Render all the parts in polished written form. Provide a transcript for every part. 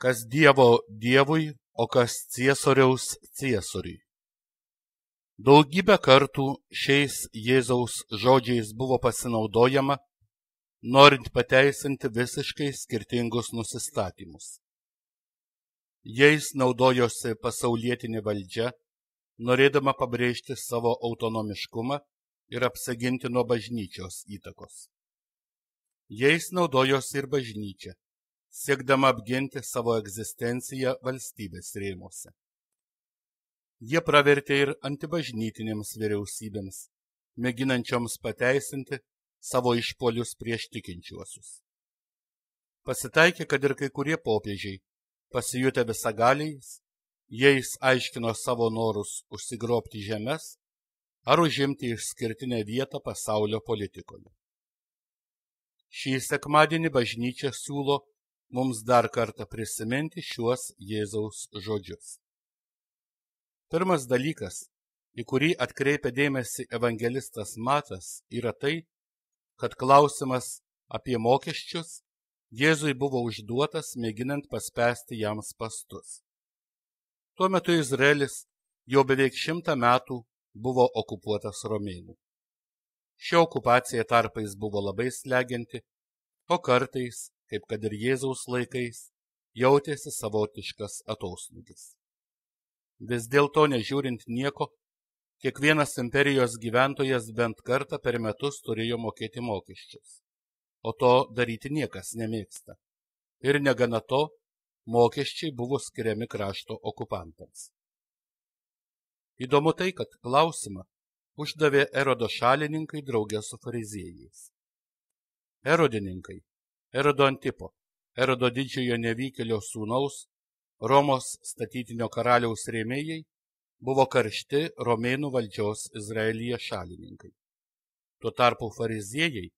Kas Dievo Dievui, o kas Ciesoriaus Ciesoriui. Daugybę kartų šiais Jėzaus žodžiais buvo pasinaudojama, norint pateisinti visiškai skirtingus nusistatymus. Jais naudojosi pasaulietinė valdžia, norėdama pabrėžti savo autonomiškumą ir apsiginti nuo bažnyčios įtakos. Jais naudojosi ir bažnyčia, siekdama apginti savo egzistenciją valstybės rėmuose. Jie pravertė ir antibažnytinėms vyriausybėms, mėginančioms pateisinti savo išpuolius prieš tikinčiuosius. Pasitaikė, kad ir kai kurie popiežiai, pasijutę visagaliais, jais aiškino savo norus užsigrobti žemes ar užimti išskirtinę vietą pasaulio politikoje. Šį sekmadienį bažnyčia siūlo mums dar kartą prisiminti šiuos Jėzaus žodžius. Pirmas dalykas, į kurį atkreipia dėmesį evangelistas Matas, yra tai, kad klausimas apie mokesčius Jėzui buvo užduotas, mėginant paspęsti jam spąstus. Tuo metu Izraelis jau beveik 100 metų buvo okupuotas romėnų. Ši okupacija tarpais buvo labai slegianti, o kartais, kaip kad ir Jėzaus laikais, jautėsi savotiškas atoslūgis. Vis dėlto, nežiūrint nieko, kiekvienas imperijos gyventojas bent kartą per metus turėjo mokėti mokesčius, o to daryti niekas nemėgsta. Ir negana to, mokesčiai buvo skiriami krašto okupantams. Įdomu tai, kad klausimą uždavė Erodo šalininkai drauge su fariziejais. Erodininkai, Erodo Antipo, Erodo didžiojo nevykėlio sūnaus, Romos statytinio karaliaus rėmėjai, buvo karšti romėnų valdžios Izraelyje šalininkai. Tuo tarpu fariziejai,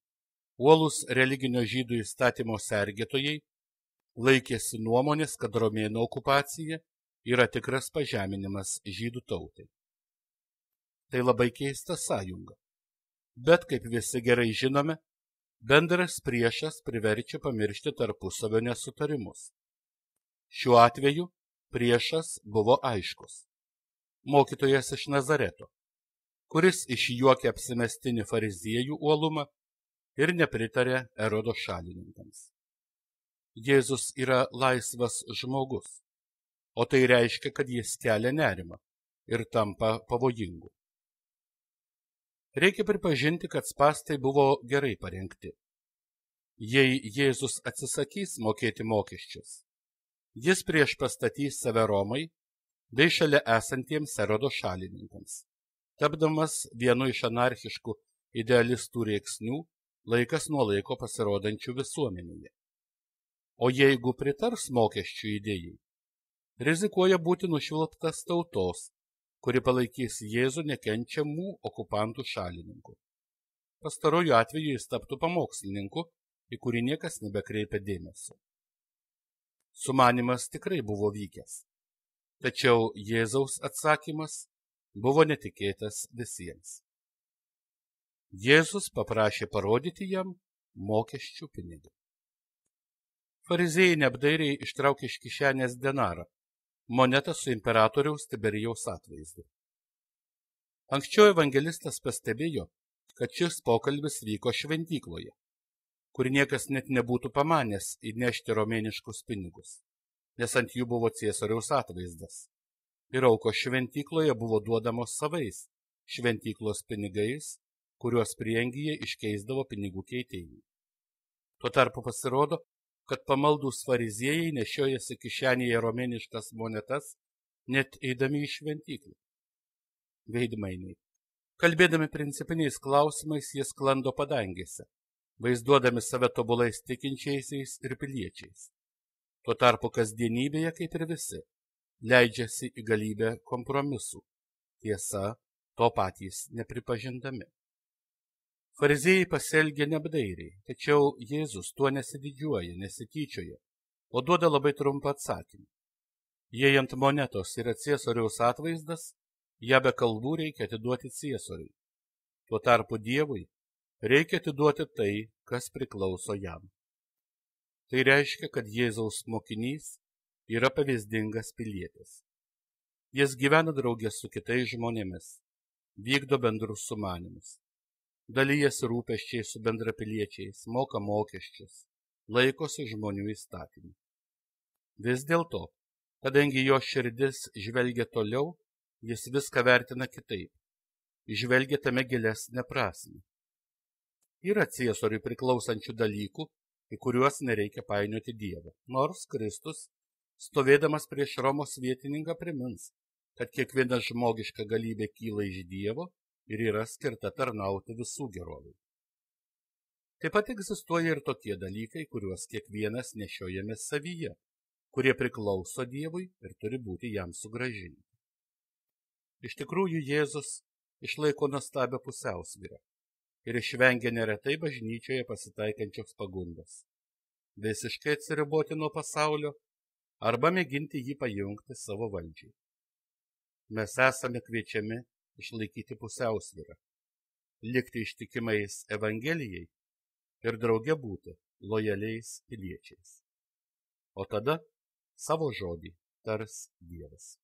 uolūs religinio žydų įstatymo sergėtojai, laikėsi nuomonės, kad romėnų okupacija yra tikras pažeminimas žydų tautai. Tai labai keista sąjunga. Bet, kaip visi gerai žinome, bendras priešas priverčia pamiršti tarpusavio nesutarimus. Šiuo atveju priešas buvo aiškus. Mokytojas iš Nazareto, kuris išjuokė apsimestinį fariziejų uolumą ir nepritarė Erodo šalininkams. Jėzus yra laisvas žmogus, o tai reiškia, kad jis kelia nerimą ir tampa pavojingu. Reikia pripažinti, kad spąstai buvo gerai parengti. Jei Jėzus atsisakys mokėti mokesčius, jis priešpastatys save Romai bei šalia esantiems Erodo šalininkams, tapdamas vienu iš anarchiškų idealistų rėksnių laikas nuo laiko pasirodančių visuomenėje. O jeigu pritars mokesčių idėjai, rizikuoja būti nušvilptas tautos, kuri palaikys Jėzų nekenčiamų okupantų šalininkų. Pastaruoju atveju jis taptų pamokslininku, į kurį niekas nebekreipia dėmesio. Sumanymas tikrai buvo vykęs, tačiau Jėzaus atsakymas buvo netikėtas visiems. Jėzus paprašė parodyti jam mokesčių pinigą. Fariziejai neapdairiai ištraukė iš kišenės denarą, monetą su imperatoriaus Tiberijaus atvaizdu. Anksčiau evangelistas pastebėjo, kad šis pokalbis vyko šventykloje, kur niekas net nebūtų pamanęs įnešti romėniškus pinigus, nes ant jų buvo Ciesoriaus atvaizdas. Ir aukos šventykloje buvo duodamos savais šventyklos pinigais, kuriuos prieangyje iškeisdavo pinigų keitėjai. Tuo tarpu pasirodo, kad pamaldūs fariziejai nešiojasi kišenėje romėniškas monetas, net eidami į šventyklą. Veidmainiai. Kalbėdami principiniais klausimais, jie sklando padangėse, vaizduodami save tobulais tikinčiaisiais ir piliečiais. Tuo tarpu kasdienybėje, kaip ir visi, leidžiasi į galybę kompromisų, tiesa, to patys nepripažindami. Fariziejai pasielgė neapdairiai, tačiau Jėzus tuo nesididžiuoja, nesityčioja, o duoda labai trumpą atsakymą. Jei ant monetos yra Ciesoriaus atvaizdas, ją be kalbų reikia atiduoti Ciesoriui. Tuo tarpu Dievui reikia atiduoti tai, kas priklauso jam. Tai reiškia, kad Jėzaus mokinys yra pavyzdingas pilietis. Jis gyvena draugė su kitais žmonėmis, vykdo bendrus sumanymus, dalyjasi rūpesčiais su bendrapiliečiais, moka mokesčius, laikosi žmonių įstatymų. Vis dėlto, kadangi jo širdis žvelgia toliau, jis viską vertina kitaip, žvelgia tame gilesnę prasmę. Yra Ciesoriui priklausančių dalykų, į kuriuos nereikia painioti Dievą, nors Kristus, stovėdamas prieš Romos vietininką, primins, kad kiekviena žmogiška galybė kyla iš Dievo ir yra skirta tarnauti visų gerovei. Taip pat egzistuoja ir tokie dalykai, kuriuos kiekvienas nešiojame savyje, kurie priklauso Dievui ir turi būti jam sugrąžinti. Iš tikrųjų, Jėzus išlaiko nuostabią pusiausvyrą ir išvengia neretai bažnyčioje pasitaikančios pagundos – visiškai atsiriboti nuo pasaulio arba mėginti jį pajungti savo valdžiai. Mes esame kviečiami išlaikyti pusiausvyrą, likti ištikimais Evangelijai ir drauge būti lojaliais piliečiais. O tada savo žodį tars Dievas.